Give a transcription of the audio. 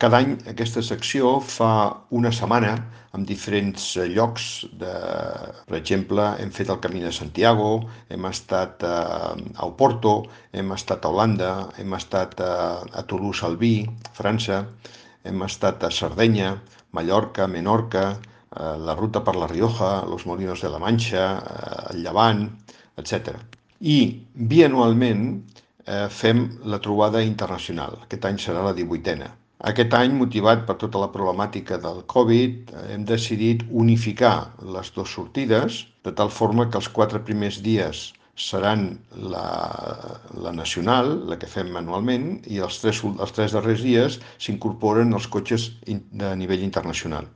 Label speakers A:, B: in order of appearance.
A: Cada any aquesta secció fa una setmana en diferents llocs. Per exemple, hem fet el Camí de Santiago, hem estat a Oporto, hem estat a Holanda, hem estat a Toulouse-Albi, França, hem estat a Sardenya, Mallorca, Menorca, la ruta per la Rioja, los Molinos de la Manxa, el Llevant, etc. I bianualment fem la trobada internacional. Aquest any serà la 18a. Aquest any, motivat per tota la problemàtica del Covid, hem decidit unificar les dues sortides, de tal forma que els 4 primers dies seran la nacional, la que fem anualment, i els tres darrers dies s'incorporen els cotxes de nivell internacional.